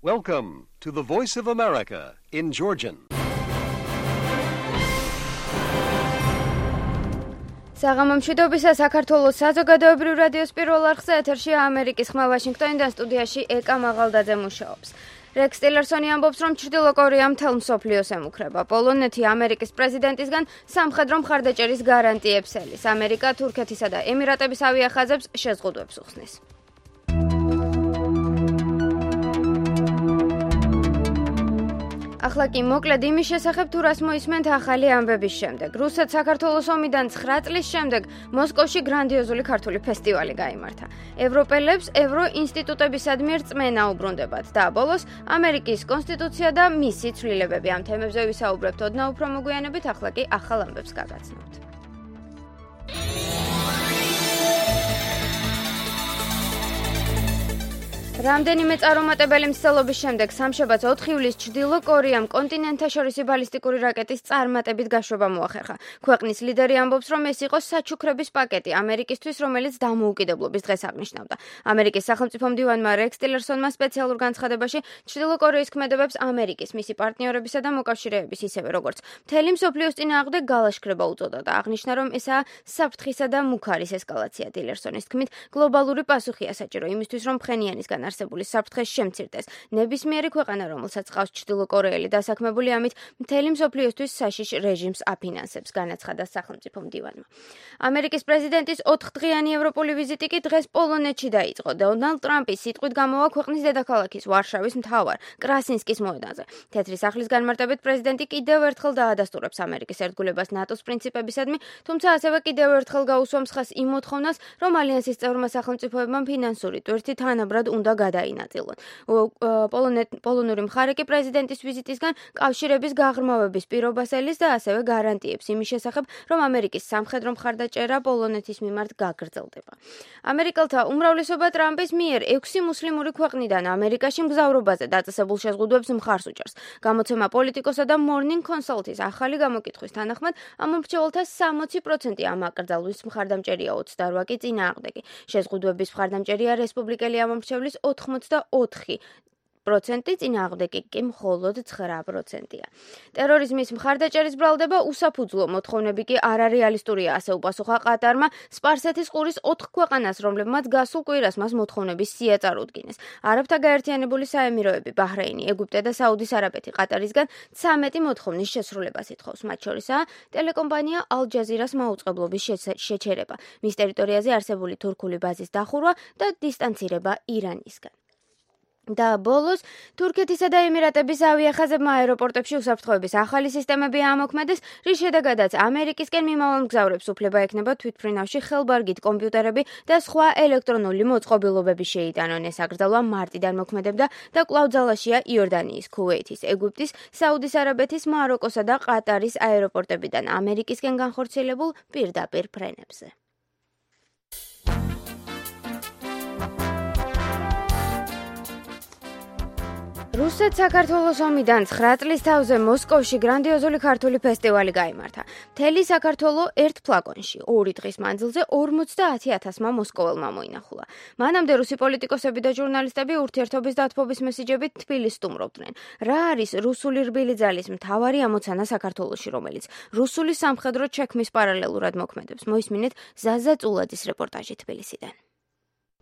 Welcome to the Voice of America in Georgian. საღამომშვიდობისა საქართველოს საზოგადოებრივ რადიოს პირველ არხზე ეთერშია ამერიკის ხმა ვაშინგტონიდან სტუდიაში ეკა მაღალდაძე მუშაობს. რექს ტილერსონი ამბობს, რომ ჩრდილო კორეა მთელ მსოფლიოს ემუქრება. პოლონეთი ამერიკის პრეზიდენტისგან სამხედრო მხარდაჭერის გარანტიებს ელის. ამერიკა თურქეთისა და ემირატების ავიახაზებს შეზღუდვებს უხსნის. ახლა კი მოკლედ იმის შესახებ, თუ რას მოისმენთ ახალი ამბების შემდეგ. რუსეთ-საქართველოს ომიდან 9 წლის შემდეგ მოსკოვში გრანდიოზული ქართული ფესტივალი გაიმართა. ევროპელებს ევროინსტიტუტებისადმი რწმენა უბრუნდებათ და ბოლოს ამერიკის კონსტიტუცია და მისი ცვლილებები. ამ თემებზე ვისაუბრებთ ოდნავ უფრო მოგვიანებით, ახლა კი ახალ ამბებს გაგაცნობთ. რამდენიმე წარუმატებელი მცდელობის შემდეგ სამშაბათს 4 ივლისს ჩრდილო კორეამ კონტინენტთაშორისი ბალისტიკური რაკეტის წარმატებით გაშვება მოახერხა. ქვეყნის ლიდერი ამბობს, რომ ეს იყო საჩუქრების პაკეტი ამერიკისთვის, რომელიც დამოუკიდებლობის დღეს აღნიშნავდა. ამერიკის სახელმწიფო მდივანმა რექს ტილერსონმა სპეციალურ განცხადებაში ჩრდილო კორეის ქმედებებს ამერიკის, მისი პარტნიორებისა და მოკავშირეების, ისევე როგორც მთელი მსოფლიოს წინააღმდეგ გალაშქრება უწოდა და აღნიშნა, რომ ესაა საფრთხისა და მუქარის ესკალაცია. ტილერსონის თქმით, გლობალური პასუხია საჭირო იმისთვის, რომ ფხენიანისგან არსებული საფრთხეს შემცირდეს. ნებისმიერი ქვეყანა, რომელსაც ყავს ჩრდილო კორეელი დასაქმებული, ამით მთელი მსოფლიოსთვის საშიშ რეჟიმს აფინანსებს, განაცხადა სახელმწიფო მდივანმა. ამერიკის პრეზიდენტის 4-დღიანი ევროპული ვიზიტი კი დღეს პოლონეთში დაიწყო. დონალდ ტრამპის სიტყვით გამოვა ქვეყნის დედაქალაქის ვარშავის მთავარ კრასინსკის მოედანზე. თეთრი სახლის განმარტებით პრეზიდენტი კიდევ ერთხელ დაადასტურებს ამერიკის ერთგულებას ნატოს პრინციპებისადმი, თუმცა ასევე კიდევ ერთხელ გაუსვამს ხაზს იმ მოთხოვნას, რომ ალიანსის წევრმა სახელმწიფოებმა ფინანსური ტვირთი თანაბრად უნდა გადაინაწილონ. პოლონური მხარე კი პრეზიდენტის ვიზიტისგან კავშირების გაღრმავების პირობას ელის და ასევე გარანტიებს იმის შესახებ, რომ ამერიკის სამხედრო მხარდაჭერა პოლონეთის მიმართ გაგრძელდება. ამერიკელთა უმრავლესობა ტრამპის მიერ 6 მუსლიმური ქვეყნიდან ამერიკაში მგზავრობაზე დაწესებულ შეზღუდვებს მხარს უჭერს. გამოცემა პოლიტიკოსა და Morning Consult-ის ახალი გამოკითხვის თანახმად ამ მომრჩეველთა 60% ამ აკრძალვის მხარდამჭერია, 28 კი წინააღმდეგი. შეზღუდვების მხარდამჭერია რესპუბლიკელი ამომრჩევლის 84%, წინააღმდეგი კი მხოლოდ 9%-ია. ტერორიზმის მხარდაჭერის ბრალდება უსაფუძვლო, მოთხოვნები კი არარეალისტურია, ასე უპასუხა ყატარმა სპარსეთის ყურის 4 ქვეყანას, რომლებმაც გასულ კვირას მას მოთხოვნების სია წარუდგინეს. არაბთა გაერთიანებული საემიროები, ბაჰრეინი, ეგვიპტე და საუდის არაბეთი ყატარისგან 13 მოთხოვნის შესრულებას ითხოვს. მათ შორისაა ტელეკომპანია ალ-ჯაზირას მაუწყებლობის შეჩერება, მის ტერიტორიაზე არსებული თურქული ბაზის დახურვა და დისტანცირება ირანისგან. და ბოლოს თურქეთისა და ემირატების ავიახაზებმა აეროპორტებში უსაფრთხოების ახალი სისტემები ამოქმედეს, რის შედეგადაც ამერიკისკენ მიმავალ მგზავრებს უფლება ექნება თვითმფრინავში ხელბარგით კომპიუტერები და სხვა ელექტრონული მოწყობილობები შეიტანონ. ეს აკრძალვა მარტიდან მოქმედებდა და კვლავ ძალაშია იორდანიის, ქუვეითის, ეგვიპტის, საუდის არაბეთის, მაროკოსა და ყატარის აეროპორტებიდან ამერიკისკენ განხორციელებულ პირდაპირ ფრენებზე. რუსეთ-საქართველოს ომიდან 9 წლის თავზე მოსკოვში გრანდიოზული ქართული ფესტივალი გაიმართა. მთელი საქართველო ერთ ფლაკონში, 2 დღის მანძილზე 50,000-მა მოსკოველმა მოინახულა. მანამდე რუსი პოლიტიკოსები და ჟურნალისტები ურთიერთობის დათბობის მესიჯებით თბილისს სტუმრობდნენ. რა არის რუსული რბილი ძალის მთავარი ამოცანა საქართველოში, რომელიც რუსული სამხედრო ჩექმის პარალელურად მოქმედებს? მოისმინეთ ზაზა წულაძის რეპორტაჟი თბილისიდან.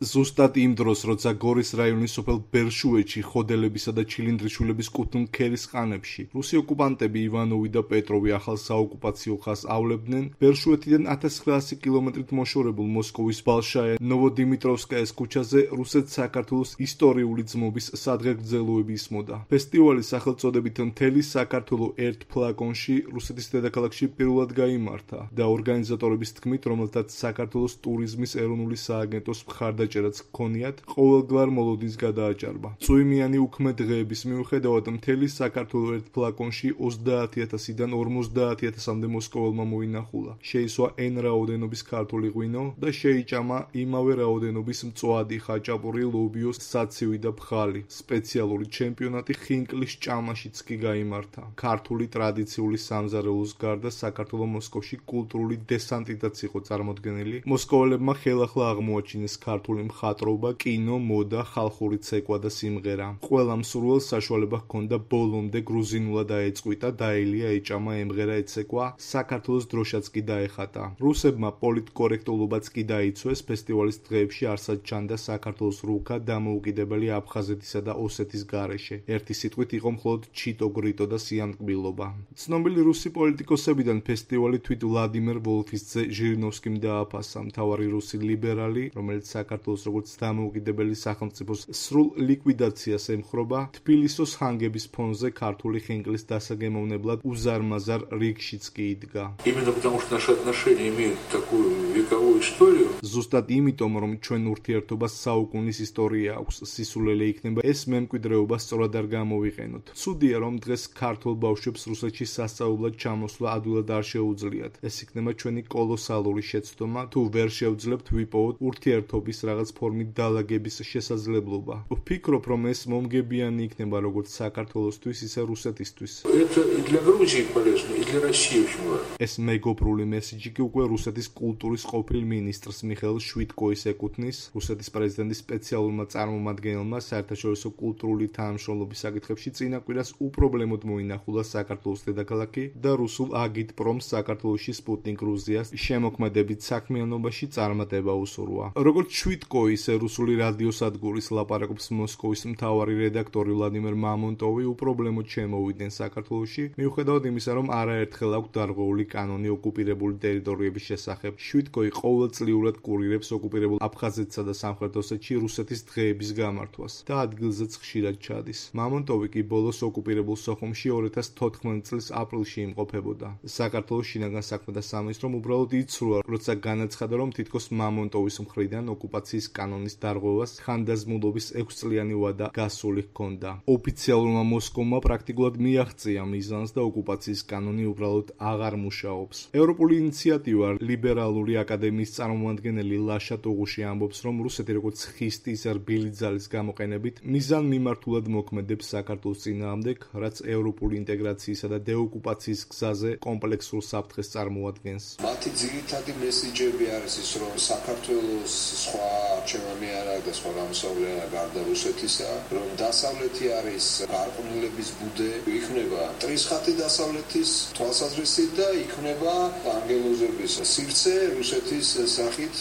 ზუსტად იმ დროს, როცა გორის რაიონის სოფელ ბერშუეთში ხოდელებისა და ჩილინდრიშვილების კუთვნილ ქერის ყანებში რუსი ოკუპანტები ივანოვი და პეტროვი ახალ საოკუპაციო ხაზს ავლებდნენ, ბერშუეთიდან 1900 კილომეტრით მოშორებულ მოსკოვის ბალშაია ნოვოდიმიტროვსკაიას ქუჩაზე რუსეთ-საქართველოს ისტორიული ძმობის სადღეგრძელოები ისმოდა. ფესტივალი სახელწოდებით მთელი საქართველო ერთ ფლაკონში რუსეთის დედაქალაქში პირველად გაიმართა და ორგანიზატორების თქმით, რომელთაც საქართველოს ტურიზმის ეროვნული სააგენტოს მხარდაჭერაც ჰქონიათ, ყოველგვარ მოლოდინს გადააჭარბა. წვიმიანი უქმე დღეების მიუხედავად მთელი საქართველო ერთ ფლაკონში 30,000-დან 50,000-მდე მოსკოველმა მოინახულა. შეისვა N რაოდენობის ქართული ღვინო და შეიჭამა იმავე რაოდენობის მწვადი, ხაჭაპური, ლობიოს, საცივი და ფხალი. სპეციალური ჩემპიონატი ხინკლის ჭამაშიც კი გაიმართა. ქართული ტრადიციული სამზარეულოს გარდა საქართველო მოსკოვში კულტურული დესანტითაც იყო წარმოდგენილი. მოსკოველებმა ხელახლა აღმოაჩინეს ქართული ქართული მხატვრობა, კინო, მოდა, ხალხური ცეკვა და სიმღერა. ყველა მსურველს საშუალება ჰქონდა ბოლომდე გრუზინულად დაეწყვიტა, დაელია, ეჭამა, ემღერა, ეცეკვა, საქართველოს დროშაც კი დაეხატა. რუსებმა პოლიტკორექტულობაც კი დაიცვეს, ფესტივალის დღეებში არსად ჩანდა საქართველოს რუქა, დამოუკიდებელი აფხაზეთისა და ოსეთის გარეშე. ერთი სიტყვით იყო მხოლოდ ჩიტო-გრიტო და სიამტკბილობა. ცნობილი რუსი პოლიტიკოსებიდან ფესტივალი თვით ვლადიმერ ვოლფის ძე ჟირინოვსკიმ დააფასა. მთავარი რუსი ლიბერალი, რომელიც საქართველოს როგორც დამოუკიდებელი სახელმწიფოს სრულ ლიკვიდაციას ემხრობა, თბილისის ჰანგების ფონზე ქართული ხინკლის დასაგემოვნებლად უზარმაზარ რიგშიც კი იდგა. Именно потому что наши отношения имеют такую вековую историю. ზუსტად იმიტომ, რომ ჩვენ ურთიერთობას საუკუნის ისტორია აქვს, სისულელე იქნება ეს მემკვიდრეობა სწორად არ გამოვიყენოთ. ცუდია, რომ დღეს ქართულ ბავშვებს რუსეთში სასწავლებლად ჩამოსვლა ადვილად არ შეუძლიათ. ეს იქნება ჩვენი კოლოსალური შეცდომა, თუ ვერ შევძლებთ ვიპოვოთ ურთიერთობის რაღაც ფორმით დალაგების შესაძლებლობა. ვფიქრობ, რომ ეს მომგებიანი იქნება როგორც საქართველოსთვის, ისე რუსეთისთვის. Это и для Грузии полезно, и для России очень важно. ეს მეგობრული მესიჯი კი უკვე რუსეთის კულტურის ყოფილ მინისტრს მიხეილ შვიტკოის ეკუთვნის, რუსეთის პრეზიდენტის სპეციალურმა წარმომადგენელმა საერთაშორისო კულტურული თანამშრომლობის საკითხებში წინა კვირას უპრობლემოდ მოინახულა საქართველოს დედაქალაქი და რუსულ აგიტპრომს საქართველოში სპუტნიკ გრუზიას შემოქმედებით საქმიანობაში წარმატება უსურვა. როგორც შვიტკოი, ისე რუსული რადიოსადგურის ლაპარაკობს მოსკოვის მთავარი რედაქტორი ვლადიმერ მამონტოვი უპრობლემოდ შემოვიდნენ საქართველოში, მიუხედავად იმისა, რომ არაერთხელ აქვს დარღვეული კანონი ოკუპირებული ტერიტორიების შესახებ. შვიტკოი ყოველწლიურად კურირებს ოკუპირებულ აფხაზეთსა და სამხრეთ ოსეთში რუსეთის დღეების გამართვას და ადგილზეც ხშირად ჩადის. მამონტოვი კი ბოლოს ოკუპირებულ სოხუმში 2014 წლის აპრილში იმყოფებოდა. საქართველოს შინაგან საქმეთა სამინისტრომ უბრალოდ იცრუა, როცა განაცხადა, რომ თითქოს მამონტოვის მხრიდან ოკუპაციის კანონის დარღვევას ხანდაზმულობის 6 წლიანი ვადა გასული ჰქონდა. ოფიციალურმა მოსკოვმა პრაქტიკულად მიაღწია მიზანს და ოკუპაციის კანონი უბრალოდ აღარ მუშაობს. ევროპული ინიციატივა ლიბერალური აკადემიის წარმომადგენელი ლაშა ტუღუში ამბობს, რომ რუსეთი როგორც ხისტი, ისე რბილი ძალის გამოყენებით მიზან მიმართულად მოქმედებს საქართველოს წინააღმდეგ, რაც ევროპული ინტეგრაციისა და დეოკუპაციის გზაზე კომპლექსურ საფრთხეს წარმოადგენს. მათი ძირითადი მესიჯები არის ის, რომ საქართველოს სხვა არჩევანი არ აქვს და სხვა გამოსავალი არ აქვს გარდა რუსეთისა, რომ დასავლეთი არის გარყვნილების ბუდე, იქნება ტრისხატი დასავლეთის თვალსაზრისით და იქნება ანგელოზების სივრცე რუსეთის სახით.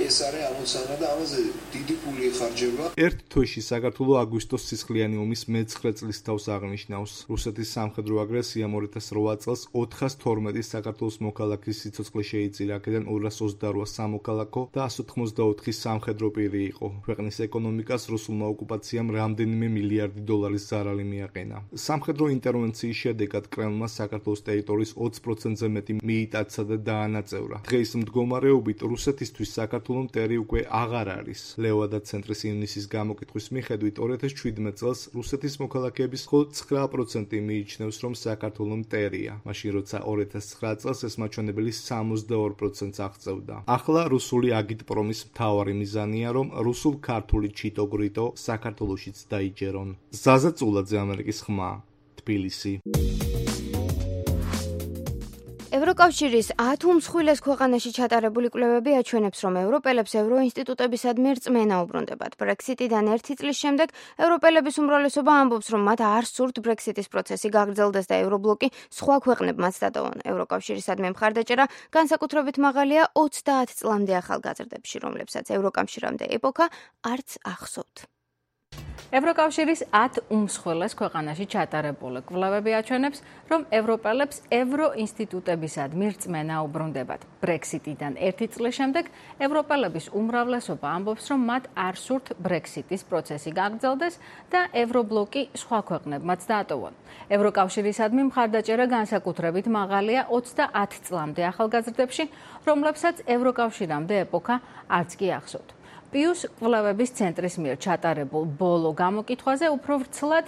ეს არის ამოცანა და ამაზე დიდი ფული იხარჯება. ერთ თვეში საქართველოს აგვისტოს სისხლიანი ომის მე-9 წლის თავს აღნიშნავს. რუსეთის სამხედრო აგრესიამ 2008 წელს 412 საქართველოს მოქალაქის სიცოცხლე შეიწირა, აქედან 228 სამოქალაქო და 184 სამხედრო პირი იყო. ქვეყნის ეკონომიკას რუსულმა ოკუპაციამ რამდენიმე მილიარდი დოლარის ზარალი მიაყენა. სამხედრო ინტერვენციის შედეგად კრემლმა საქართველოს ტერიტორიის 20%-ზე მეტი მიიტაცა და დაანაწევრა. დღეის მდგომარეობით რუსეთისთვის საქართველოს მტერი უკვე აღარ არის. ლევა და ცენტრის ივნისის გამოკითხვის მიხედვით 2017 წელს რუსეთის მოქალაქეების მხოლოდ 9% მიიჩნევს, რომ საქართველოს მტერია, მაშინ როცა 2009 წელს ეს მაჩვენებელი 62%-ს აღწევდა. ახლა რუსული აგიტპრომის მთავარი მიზანია, რომ რუსულ-ქართული ჩიტო-გრიტო საქართველოშიც დაიჯერონ. ზაზა წულაძე, ამერიკის ხმა, თბილისი. ევროკავშირის 10 უმსხვილეს ქვეყანაში ჩატარებული კვლევები აჩვენებს, რომ ევროპელებს ევროინსტიტუტებისადმი რწმენა უბრუნდებათ. ბრექსიტიდან 1 წლის შემდეგ ევროპელების უმრავლესობა ამბობს, რომ მათ არ სურთ ბრექსიტის პროცესი გაგრძელდეს და ევრობლოკი სხვა ქვეყნებმაც დატოვონ. ევროკავშირისადმი მხარდაჭერა განსაკუთრებით მაღალია 30 წლამდე ახალგაზრდებში, რომლებსაც ევროკავშირამდე ეპოქა არც ახსოვთ. ევროკავშირის 10 უმსხვილეს ქვეყანაში ჩატარებული კვლევები აჩვენებს, რომ ევროპელებს ევროინსტიტუტებისადმი რწმენა უბრუნდებათ. ბრექსიტიდან 1 წლის შემდეგ ევროპელების უმრავლესობა ამბობს, რომ მათ არ სურთ ბრექსიტის პროცესი გაგრძელდეს და ევრობლოკი სხვა ქვეყნებმაც დაატოვონ. ევროკავშირისადმი მხარდაჭერა განსაკუთრებით მაღალია 30 წლამდე ახალგაზრდებში, რომლებსაც ევროკავშირამდე ეპოქა არც კი ახსოვთ. პიუს კვლევების ცენტრის მიერ ჩატარებულ ბოლო გამოკითხვაზე უფრო ვრცლად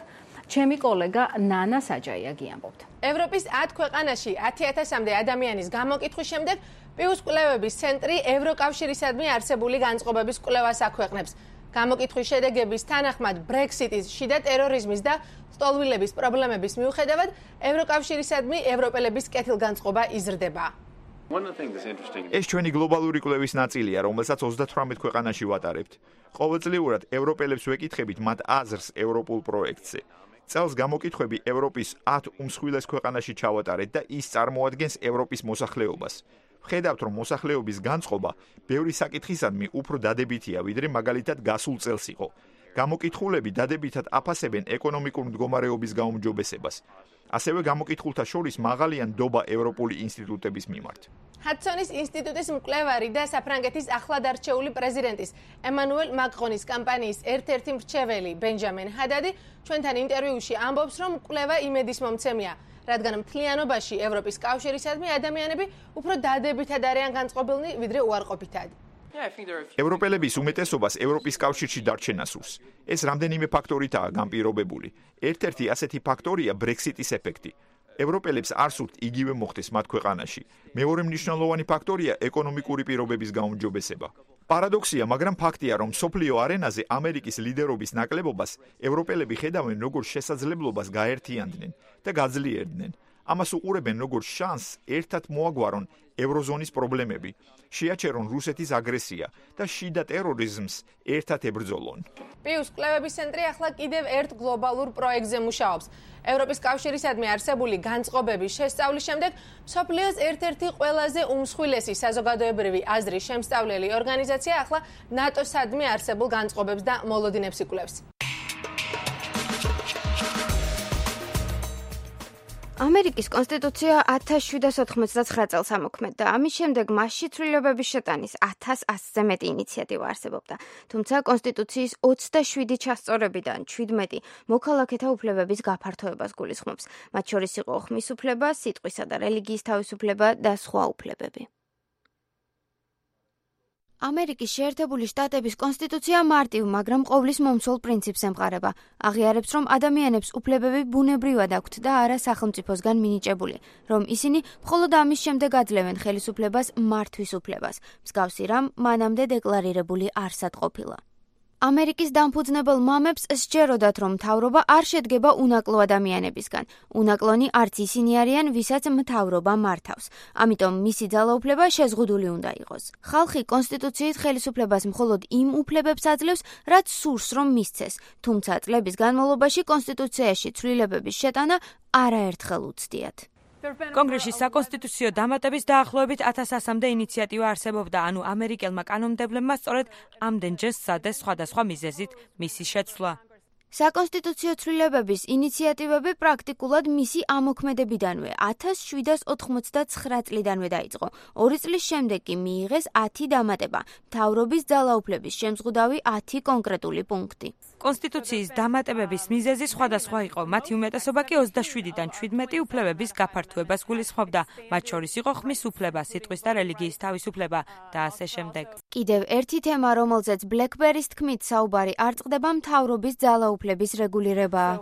ჩემი კოლეგა ნანა საჯაია გიამბობთ. ევროპის 10 ქვეყანაში 10,000-მდე ადამიანის გამოკითხვის შემდეგ პიუს კვლევების ცენტრი ევროკავშირისადმი არსებული განწყობების კვლევას აქვეყნებს. გამოკითხვის შედეგების თანახმად ბრექსიტის, შიდა ტერორიზმის და სტოლვილების პრობლემების მიუხედავად ევროკავშირისადმი ევროპელების კეთილგანწყობა იზრდება. ეს ჩვენი გლობალური კვლევის ნაწილია, რომელსაც 38 ქვეყანაში ვატარებთ. ყოველწლიურად ევროპელებს ვეკითხებით მათ აზრს ევროპულ პროექტზე. წელს გამოკითხვები ევროპის 10 უმსხვილეს ქვეყანაში ჩავატარეთ და ის წარმოადგენს ევროპის მოსახლეობას. ვხედავთ, რომ მოსახლეობის განწყობა ბევრი საკითხისადმი უფრო დადებითია, ვიდრე მაგალითად გასულ წელს იყო. გამოკითხულები დადებითად აფასებენ ეკონომიკურ მდგომარეობის გაუმჯობესებას. ასევე გამოკითხულთა შორის მაღალია ნდობა ევროპული ინსტიტუტების მიმართ. ჰადსონის ინსტიტუტის მკვლევარი და საფრანგეთის ახლად არჩეული პრეზიდენტის ემანუელ მაკრონის კამპანიის ერთ-ერთი მრჩეველი ბენჯამინ ჰადადი ჩვენთან ინტერვიუში ამბობს, რომ მკვლევა იმედის მომცემია, რადგან მთლიანობაში ევროპის კავშირისადმი ადამიანები უფრო დადებითად არიან განწყობილნი, ვიდრე უარყოფითად. ევროპელების უმეტესობას ევროპის კავშირში დარჩენა სურს. ეს რამდენიმე ფაქტორითაა განპირობებული. ერთ-ერთი ასეთი ფაქტორია ბრექსიტის ეფექტი. ევროპელებს არ სურთ იგივე მოხდეს მათ ქვეყანაში. მეორე მნიშვნელოვანი ფაქტორია ეკონომიკური პირობების გაუმჯობესება. პარადოქსია, მაგრამ ფაქტია, რომ მსოფლიო არენაზე ამერიკის ლიდერობის ნაკლებობას ევროპელები ხედავენ როგორც შესაძლებლობას გაერთიანდნენ და გაძლიერდნენ. ამას უყურებენ როგორც შანსს ერთად მოაგვარონ ევროზონის პრობლემები, შეაჩერონ რუსეთის აგრესია და შიდა ტერორიზმს ერთად ებრძოლონ. პიუს კვლევების ცენტრი ახლა კიდევ ერთ გლობალურ პროექტზე მუშაობს. ევროპის კავშირისადმი არსებული განწყობების შესწავლის შემდეგ მსოფლიოს ერთ-ერთი ყველაზე უმსხვილესი საზოგადოებრივი აზრის შემსწავლელი ორგანიზაცია ახლა ნატოსადმი არსებულ განწყობებს და მოლოდინებს იკვლევს. ამერიკის კონსტიტუცია 1789 წელს ამოქმედდა. ამის შემდეგ მასში ცვლილებების შეტანის 1100-ზე მეტი ინიციატივა არსებობდა. თუმცა კონსტიტუციის 27 ჩასწორებიდან 17 მოქალაქეთა უფლებების გაფართოებას გულისხმობს. მათ შორის იყო ხმის უფლება, სიტყვისა და რელიგიის თავისუფლება და სხვა უფლებები. ამერიკის შეერთებული შტატების კონსტიტუცია მარტივ, მაგრამ ყოვლის მომცველ პრინციპს ემყარება. აღიარებს, რომ ადამიანებს უფლებები ბუნებრივად აქვთ და არა სახელმწიფოსგან მინიჭებული, რომ ისინი მხოლოდ ამის შემდეგ აძლევენ ხელისუფლებას მართვის უფლებას. მსგავსი რამ მანამდე დეკლარირებული არსად ყოფილა. ამერიკის დამფუძნებელ მამებს სჯეროდათ, რომ მთავრობა არ შედგება უნაკლო ადამიანებისგან. უნაკლონი არც ისინი არიან, ვისაც მთავრობა მართავს. ამიტომ მისი ძალაუფლება შეზღუდული უნდა იყოს. ხალხი კონსტიტუციით ხელისუფლებას მხოლოდ იმ უფლებებს აძლევს, რაც სურს რომ მისცეს, თუმცა წლების განმავლობაში კონსტიტუციაში ცვლილებების შეტანა არაერთხელ უცდიათ. კონგრესში საკონსტიტუციო დამატების დაახლოებით 1100-მდე ინიციატივა არსებობდა, ანუ ამერიკელმა კანონმდებლებმა სწორედ ამდენჯერ სცადეს სხვადასხვა მიზეზით მისი შეცვლა. საკონსტიტუციო ცვლილებების ინიციატივები პრაქტიკულად მისი ამოქმედებიდანვე 1789 წლიდანვე დაიწყო. 2 წლის შემდეგ კი მიიღეს 10 დამატება, მთავრობის ძალაუფლების შემზღუდავი 10 კონკრეტული პუნქტი. კონსტიტუციის დამატებების მიზეზი სხვადასხვა იყო. მათი უმეტესობა კი 27-დან 17 უფლებების გაფართოებას გულისხმობდა. მათ შორის იყო ხმის უფლება, სიტყვის და რელიგიის თავისუფლება და ასე შემდეგ. კიდევ ერთი თემა, რომელზეც ბლეკბერის თქმით საუბარი არ წყდება, მთავრობის ძალაუფლების რეგულირებაა.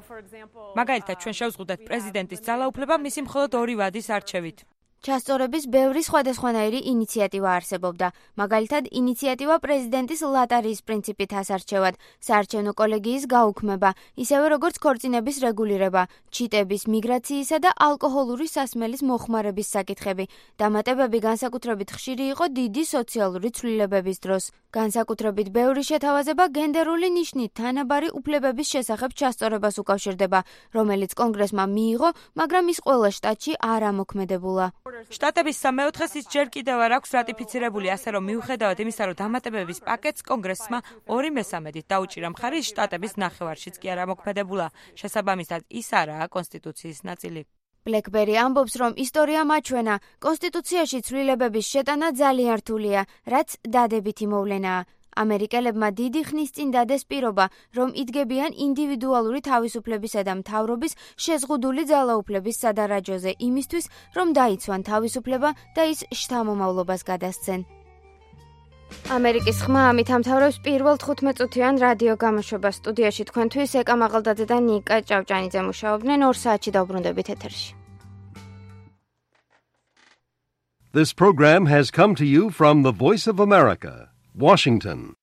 მაგალითად, ჩვენ შევზღუდეთ პრეზიდენტის ძალაუფლება მისი მხოლოდ 2 ვადის არჩევით. ჩასწორების ბევრი სხვადასხვანაირი ინიციატივა არსებობდა. მაგალითად, ინიციატივა პრეზიდენტის ლატარიის პრინციპით ასარჩევად, საარჩევნო კოლეგიის გაუქმება, ისევე როგორც ქორწინების რეგულირება, ჩიტების, მიგრაციისა და ალკოჰოლური სასმელის მოხმარების საკითხები. დამატებები განსაკუთრებით ხშირი იყო დიდი სოციალური ცვლილებების დროს. განსაკუთრებით ბევრი შეთავაზება გენდერული ნიშნით თანაბარი უფლებების შესახებ ჩასწორებას უკავშირდება, რომელიც კონგრესმა მიიღო, მაგრამ ის ყველა შტატში არ ამოქმედებულა. შტატების 3/4-ს ის ჯერ კიდევ არ აქვს რატიფიცირებული, ასე რომ მიუხედავად იმისა, რომ დამატებების პაკეტს კონგრესმა 2/3 დაუჭირა მხარი, შტატების ნახევარშიც კი არ ამოქმედებულა. შესაბამისად, ის არაა კონსტიტუციის ნაწილი. ბლეკბერი ამბობს, რომ ისტორია მაჩვენა, კონსტიტუციაში ცვლილებების შეტანა ძალიან რთულია, რაც დადებითი მოვლენაა. ამერიკელებმა დიდი ხნის წინ დადეს პირობა, რომ იდგებიან ინდივიდუალური თავისუფლებისა და მთავრობის შეზღუდული ძალაუფლების სადარაჯოზე იმისთვის, რომ დაიცვან თავისუფლება და ის შთამომავლობას გადასცენ. ამერიკის ხმა ამით ამთავრებს პირველ 15-წუთიან რადიო გამოშვებას. სტუდიაში თქვენთვის ეკა მაღალდაძე და ნიკა ჭავჭანიძე მუშაობდნენ. 2 საათში დავბრუნდებით ეთერში. This program has come to you from the Voice of America, Washington.